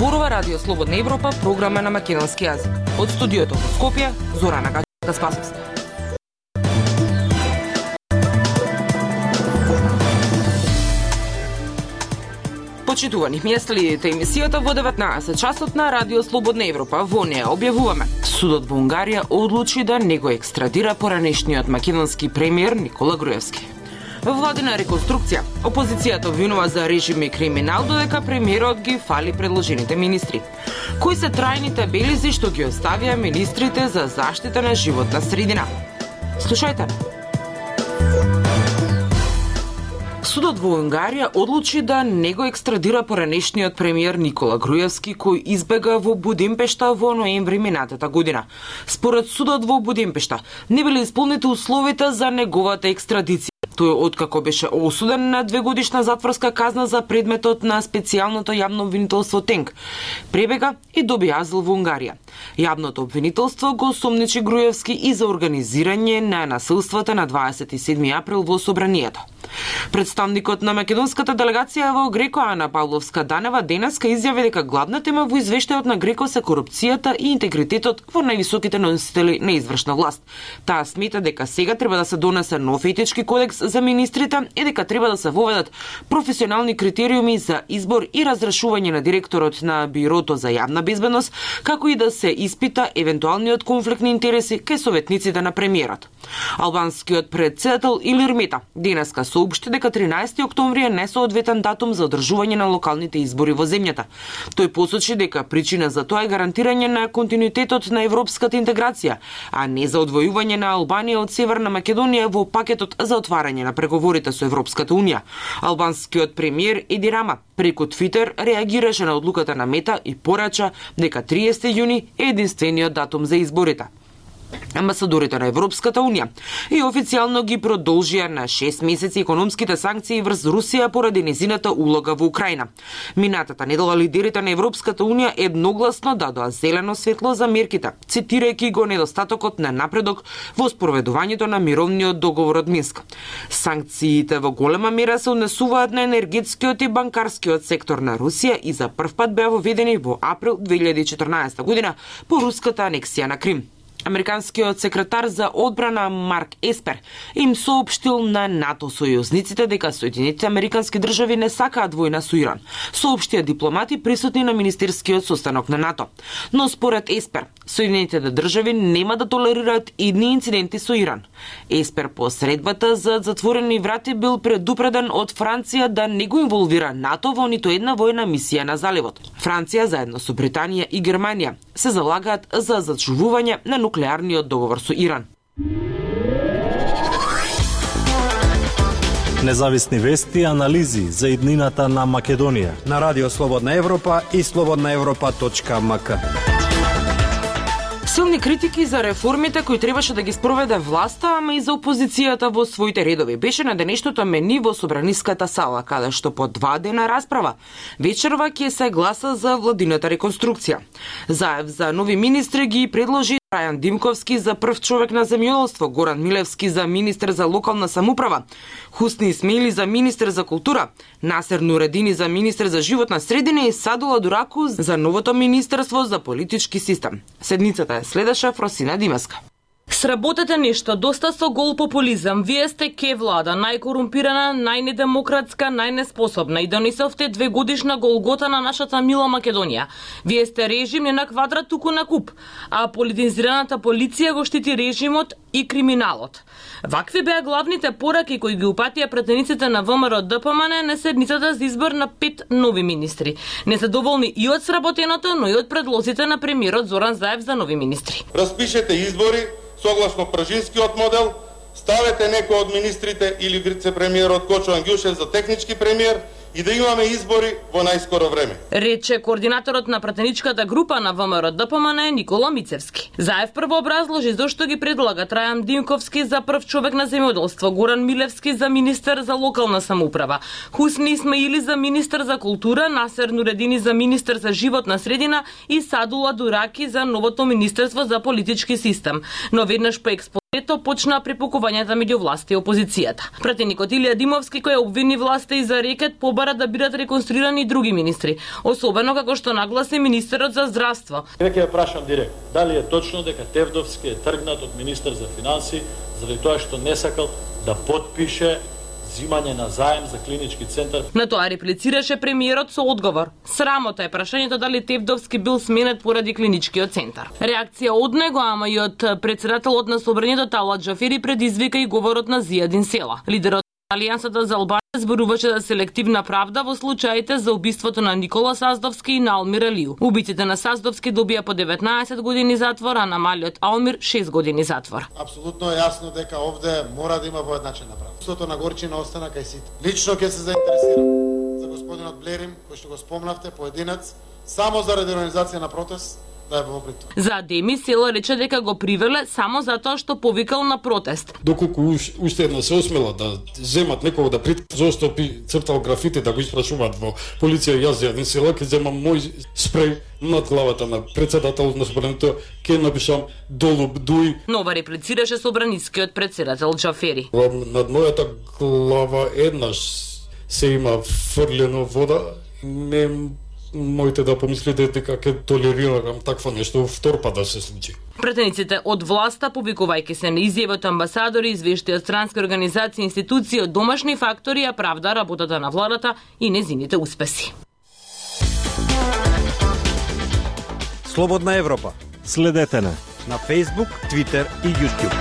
Зборува Радио Слободна Европа, програма на македонски јазик. Од студиото во Скопје, Зорана Гаспасовска. Почитувани, ми ја следите емисијата во 19 часот на Радио Слободна Европа. Во неја објавуваме: судот во Унгарија одлучи да не го екстрадира поранешниот македонски премиер Никола Груевски. Владина реконструкција. Опозицијата обвинува за режим и криминал, додека премиерот ги фали предложените министри. Кои се трајните белези што ги оставија министрите за заштита на животна средина? Слушајте. Судот во Унгарија одлучи да не го екстрадира поранешниот премиер Никола Груевски, кој избега во Будимпешта во ноември минатата година. Според судот во Будимпешта не биле исполнети условите за неговата екстрадиција. Тој откако беше осуден на 2-годишна затворска казна за предметот на специјалното јавно обвинителство ТЕНК, пребега и доби азил во Унгарија. Јавното обвинителство го сомничи Груевски и за организирање на насилствата на 27 април во собранието. Представникот на македонската делегација во Греко Ана Павловска-Данева денеска изјави дека главна тема во извештајот на Греко се корупцијата и интегритетот во највисоките носители на извршна власт. Таа смета дека сега треба да се донесе нов етички кодекс за министрите и дека треба да се воведат професионални критериуми за избор и разрешување на директорот на Бирото за јавна безбедност, како и да се испита евентуалниот конфликт на интереси кај советниците на премиерот. Албанскиот председател Илир Мета денеска соопшти дека 13 октомври е несоодветен датум за одржување на локалните избори во земјата. Тој посочи дека причина за тоа е гарантирање на континуитетот на европската интеграција, а не за одвојување на Албанија од Северна Македонија во пакетот за отварање на преговорите со Европската унија. Албанскиот премиер Еди Рама преку Твитер реагираше на одлуката на Мета и порача дека 30 јуни е единствениот датум за изборите. Амбасадорите на Европската унија и официјално ги продолжија на 6 месеци економските санкции врз Русија поради незината улога во Украина. Минатата недела лидерите на Европската унија едногласно дадоа зелено светло за мерките, цитирајќи го недостатокот на напредок во спроведувањето на мировниот договор од Минск. Санкциите во голема мера се однесуваат на енергетскиот и банкарскиот сектор на Русија и за прв пат беа воведени во април 2014 година по руската анексија на Крим. Американскиот секретар за одбрана Марк Еспер им соопштил на НАТО сојузниците дека Соединетите американски држави не сакаат војна со Иран, соопштија дипломати присутни на министерскиот состанок на НАТО. Но според Еспер, Соединетите држави нема да толерираат идни инциденти со Иран. Еспер по средбата за затворени врати бил предупреден од Франција да не го инволвира НАТО во ниту една војна мисија на заливот. Франција заедно со Британија и Германија се залагаат за зачувување на нуклеарниот договор со Иран. Независни вести и анализи за иднината на Македонија на Радио Слободна Европа и slobodnaevropa.mk. Силни критики за реформите кои требаше да ги спроведе власта, ама и за опозицијата во своите редови. Беше на денешното мени во Собраниската сала, каде што по 2 дена расправа вечерва ќе се гласа за владината реконструкција. Заев за нови министри ги предложи Рајан Димковски за прв човек на земјоделство, Горан Милевски за министер за локална самоуправа, Хусни Исмаили за министер за култура, Насер Нуредини за министер за животна средина и Садула Дураку за новото министерство за политички систем. Седницата ја следеше Фросина Димеска. Сработете нешто, доста со гол популизам. Вие сте ке влада, најкорумпирана, најнедемократска, најнеспособна и донесовте 2-годишна голгота на нашата мила Македонија. Вие сте режим не на квадрат, туку на куп, а политизираната полиција го штити режимот и криминалот. Вакви беа главните пораки кои ги упатија претениците на ВМРО ДПМН на седницата за избор на 5 нови министри. Незадоволни и од сработеното, но и од предлозите на премиерот Зоран Заев за нови министри. Распишете избори согласно пржинскиот модел, ставете некој од министрите или вице-премиерот Кочо Ангјушев за технички премиер и да имаме избори во најскоро време. Рече координаторот на пратеничката група на ВМРО ДПМН Никола Мицевски. Заев прво образложи зошто ги предлага Рајан Димковски за прв човек на земјоделство, Горан Милевски за министер за локална самоуправа, Хусни Исмаили за министер за култура, Насер Нуредини за министер за животна средина и Садула Дураки за новото министерство за политички систем. Но веднаш по Ето почна препукувањата меѓу власта и опозицијата. Пратеникот Илија Димовски, кој обвини власта и за рекет, побара да бидат реконструирани и други министри, особено како што нагласи министерот за здравство. Веќе ја прашам директно, дали е точно дека Тевдовски е тргнат од министер за финанси заради тоа што не сакал да потпише зимање на заем за клинички центар. На тоа реплицираше премиерот со одговор. Срамота е прашањето дали Тевдовски бил сменет поради клиничкиот центар. Реакција од него, ама и од председателот на собранието Талат Џафери предизвика и говорот на Зијадин Села. Лидерот на Алијансата за Албанија зборуваше за селективна правда во случаите за убиството на Никола Саздовски и на Алмир Алију. Убиците на Саздовски добија по 19 години затвор, а на малиот Алмир 6 години затвор. Апсолутно е јасно дека овде мора да има поедначена правда. Сото на горчина остана кај сите. Лично ќе се заинтересирам за господинот Блерим, кој што го спомнавте, поединец, само заради организација на протест. За Деми Села рече дека го привеле само затоа што повикал на протест. Доколку уште едно се осмела да земат некого да зошто цртал графити да го испрашуваат во полиција, јас Зијадин Села ќе земам мој спреј над главата на председателот на собранието, ќе напишам долу бдуј. Нова реплицираше собранискиот председател Џафери. Над мојата глава еднаш се има фрлено вода, не моите да помислите дека ќе толерирам такво нешто втор пат да се случи. Пратениците од власта, повикувајќи се на изјави од амбасадори, извешти од странски организации и институции, од домашни фактори, ја правда работата на владата и незините успеси. Слободна Европа. Следете на Facebook, Twitter и YouTube.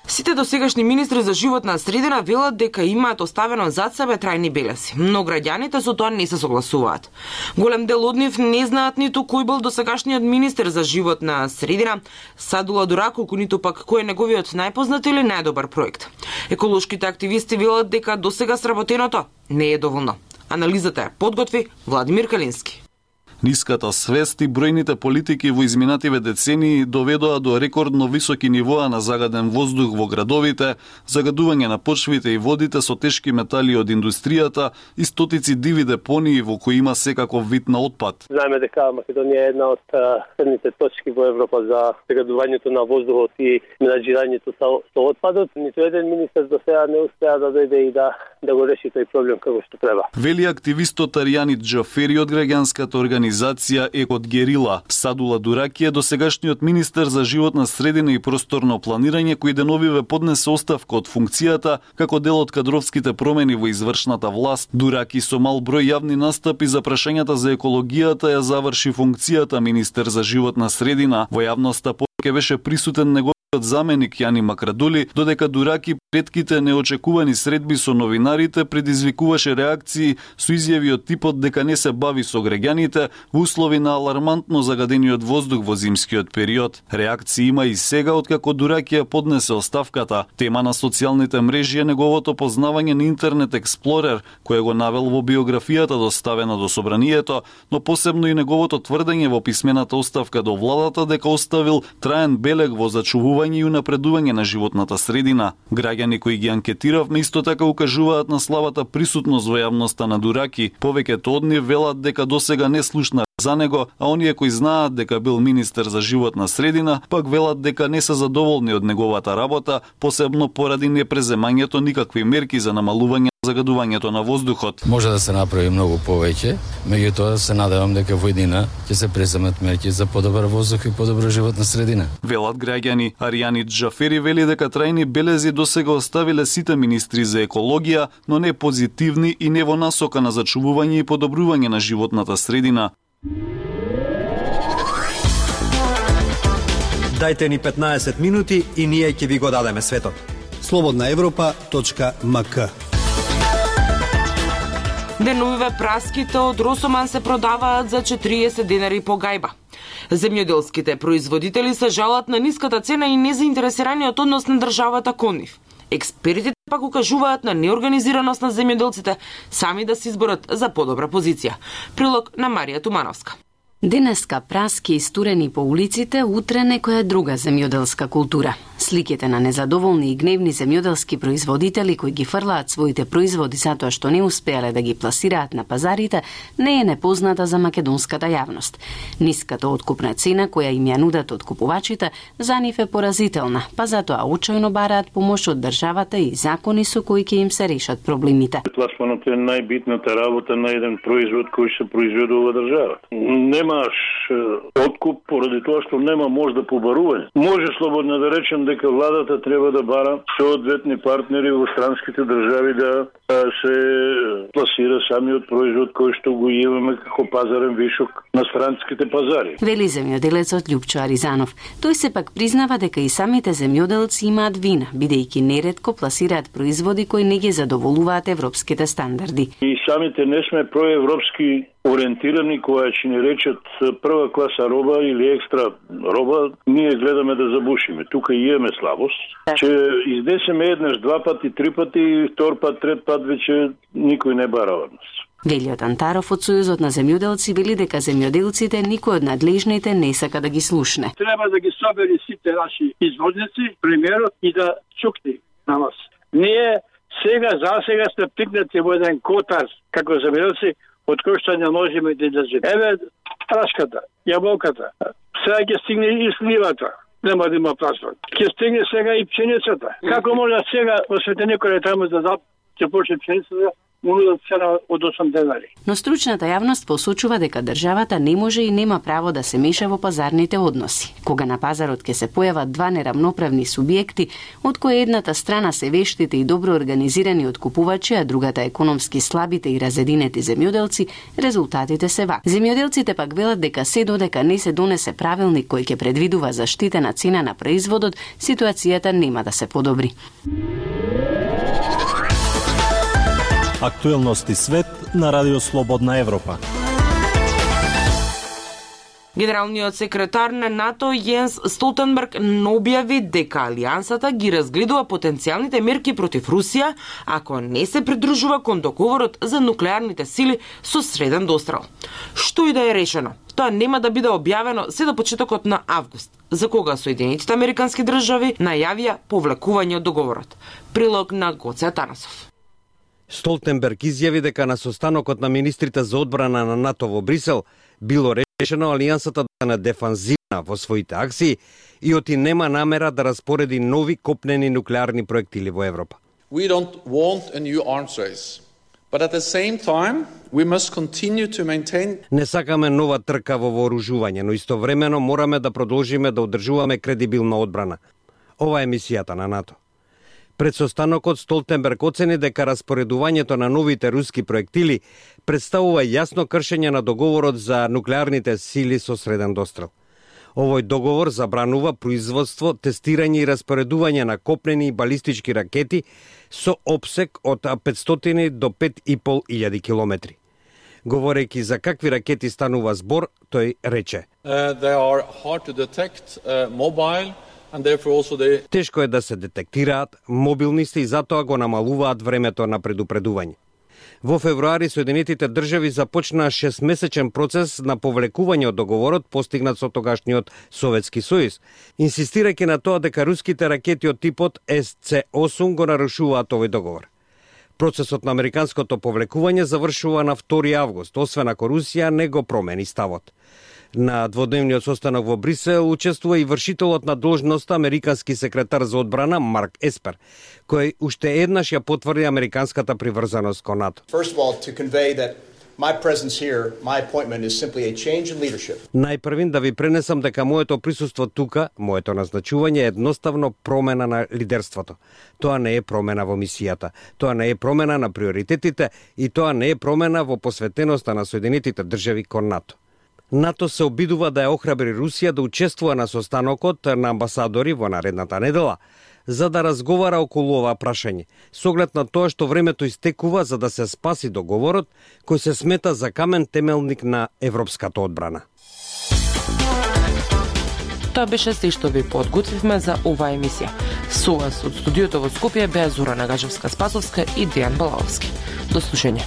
Сите досегашни министри за животна средина велат дека имаат оставено зад себе трајни белеси, но граѓаните со тоа не се согласуваат. Голем дел од нив не знаат ниту кој бил досегашниот министер за животна средина, Садула Дураколку, ниту пак кој е неговиот најпознат или најдобар проект. Еколошките активисти велат дека досега сработеното не е доволно. Анализата ја подготви Владимир Калински. Ниската свест и бројните политики во изминативе децении доведоа до рекордно високи нивоа на загаден воздух во градовите, загадување на почвите и водите со тешки метали од индустријата и стотици диви депонии во кои има секаков вид на отпад. Знаеме дека Македонија е една од црните точки во Европа за загадувањето на воздухот и менаџирањето со отпадот. Ниту еден министер до сега не успеа да дојде и да го реши тој проблем како што треба. Вели активистот Аријани Џафери од граѓанската организација Екот Герила. Садула Дураки е досегашниот министер за животна средина и просторно планирање кој деновиве поднесе оставка од функцијата како дел од кадровските промени во извршната власт. Дураки со мал број јавни настапи за прашањата за екологијата ја заврши функцијата министер за животна средина. Во јавноста повеќе беше присутен неговиот заменик Јани Макрадули, додека Дураки претките неочекувани средби со новинарите предизвикуваше реакции со изјави од типот дека не се бави со граѓаните во услови на алармантно загадениот воздух во зимскиот период. Реакции има и сега откако Дураки ја поднесе оставката. Тема на социјалните мрежи е неговото познавање на Интернет Експлорер, кој го навел во биографијата доставена до собранието, но посебно и неговото тврдење во писмената оставка до владата дека оставил траен белег во зачувување и унапредување на животната средина. Граѓани кои ги анкетиравме исто така укажуваат на слабата присутност во јавноста на Дураки. Повеќето од нив велат дека досега не слушна за него, а оние кои знаат дека бил министер за животна средина, пак велат дека не се задоволни од неговата работа, посебно поради непреземањето никакви мерки за намалување загадувањето на воздухот. Може да се направи многу повеќе, меѓутоа се надевам дека во иднина ќе се преземат мерки за подобар воздух и подобра животна средина. Велат граѓани. Аријани Џафери вели дека трајни белези досега оставиле сите министри за екологија, но не позитивни и не во насока на зачувување и подобрување на животната средина. Дајте ни 15 минути и ние ќе ви го дадеме светот. slobodnaevropa.mk. Деновиве праските од Росоман се продаваат за 40 денари по гајба. Земјоделските производители се жалат на ниската цена и незаинтересираниот однос на државата кон нив. Експертите пак укажуваат на неорганизираност на земјоделците сами да се изборат за подобра позиција. Прилог на Марија Тумановска. Денеска праски истурени по улиците, утре некоја друга земјоделска култура. Сликите на незадоволни и гневни земјоделски производители кои ги фрлаат своите производи затоа што не успеале да ги пласираат на пазарите, не е непозната за македонската јавност. Ниската откупна цена која им ја нудат откупувачите за нив е поразителна, па затоа очајно бараат помош од државата и закони со кои ќе им се решат проблемите. Пласманот е најбитната работа на еден производ кој се произведува во државата. Немаш откуп поради тоа што нема мош да побарување. Може слободно да речем дека владата треба да бара соодветни партнери во странските држави да се пласира самиот производ кој што го имаме како пазарен вишок на странските пазари. Вели земјоделецот Љупчо Аризанов. Тој сепак признава дека и самите земјоделци имаат вина, бидејќи неретко пласираат производи кои не ги задоволуваат европските стандарди. И самите не сме проевропски ориентирани, која ќе ни речат прва класа роба или екстра роба, ние гледаме да забушиме. Тука имаме слабост, че изнесеме еднаш, два пати, три пати, и втор пат, трет пат веќе никој не бара од нас. Велиот Антаров од Сојузот на земјоделци вели дека земјоделците никој од надлежните не сака да ги слушне. Треба да ги собери сите наши извозници, премиерот, и да чукни на нас. Ние за сега сме пикнати во еден котар како земјоделци, од кој што не можеме да излеземе. Еве прашката, јаболката, сега ќе стигне и сливата, нема да има пласман. Ќе стигне сега и пшеницата. Како може сега во светеникот таму да ќе почне пшеницата, унудат цена од 8 денари. Но стручната јавност посочува дека државата не може и нема право да се меша во пазарните односи. Кога на пазарот ќе се појават два неравноправни субјекти, од кои едната страна се вештите и добро организирани откупувачи, а другата економски слабите и разединети земјоделци, резултатите се вак. Земјоделците пак велат дека се додека не се донесе правилник кој ќе предвидува заштитена цена на производот, ситуацијата нема да се подобри. Актуелности свет на Радио Слободна Европа. Генералниот секретар на НАТО Јенс Столтенберг објави дека алијансата ги разгледува потенцијалните мерки против Русија ако не се придружува кон договорот за нуклеарните сили со среден дострел. Што и да е решено, тоа нема да биде објавено се до почетокот на август, за кога Соединетите Американски држави најавија повлекување од договорот. Прилог на Гоце Атанасов. Столтенберг изјави дека на состанокот на министрите за одбрана на НАТО во Брисел било решено алијансата да е на дефанзивна во своите акции и оти нема намера да распореди нови копнени нуклеарни проектили во Европа. We don't want a new arms race, but at the same time we must continue to maintain. Не сакаме нова трка во вооружување, но истовремено мораме да продолжиме да одржуваме кредибилна одбрана. Ова е мисијата на НАТО. Пред состанокот Столтенберг оцени дека распоредувањето на новите руски проектили представува јасно кршење на договорот за нуклеарните сили со среден дострел. Овој договор забранува производство, тестирање и распоредување на копнени и балистички ракети со опсек од 500 до 5.500 километри. Говорејќи за какви ракети станува збор, тој рече: They are hard to detect, mobile. Тешко е да се детектираат, мобилни се и затоа го намалуваат времето на предупредување. Во февруари Соединетите држави започнаа 6-месечен процес на повлекување од договорот постигнат со тогашниот Советски сојуз, инсистирајќи на тоа дека руските ракети од типот SC-8 го нарушуваат овој договор. Процесот на американското повлекување завршува на 2 август, освен ако Русија не го промени ставот. На дводневниот состанок во Брисел учествува и вршителот на должноста американски секретар за одбрана Марк Еспер, кој уште еднаш ја потврди американската приврзаност кон НАТО. Најпрвин да ви пренесам дека моето присуство тука, моето назначување е едноставно промена на лидерството. Тоа не е промена во мисијата, тоа не е промена на приоритетите и тоа не е промена во посветеноста на Соединетите држави кон НАТО. НАТО се обидува да ја охрабри Русија да учествува на состанокот на амбасадори во наредната недела, за да разговара околу ова прашање, со оглед на тоа што времето истекува за да се спаси договорот, кој се смета за камен темелник на европската одбрана. Тоа беше се што ви подготвивме за оваа емисија. Со вас од студиото во Скопје беа Зора Нагажевска-Спасовска и Дејан Балаовски. До слушање.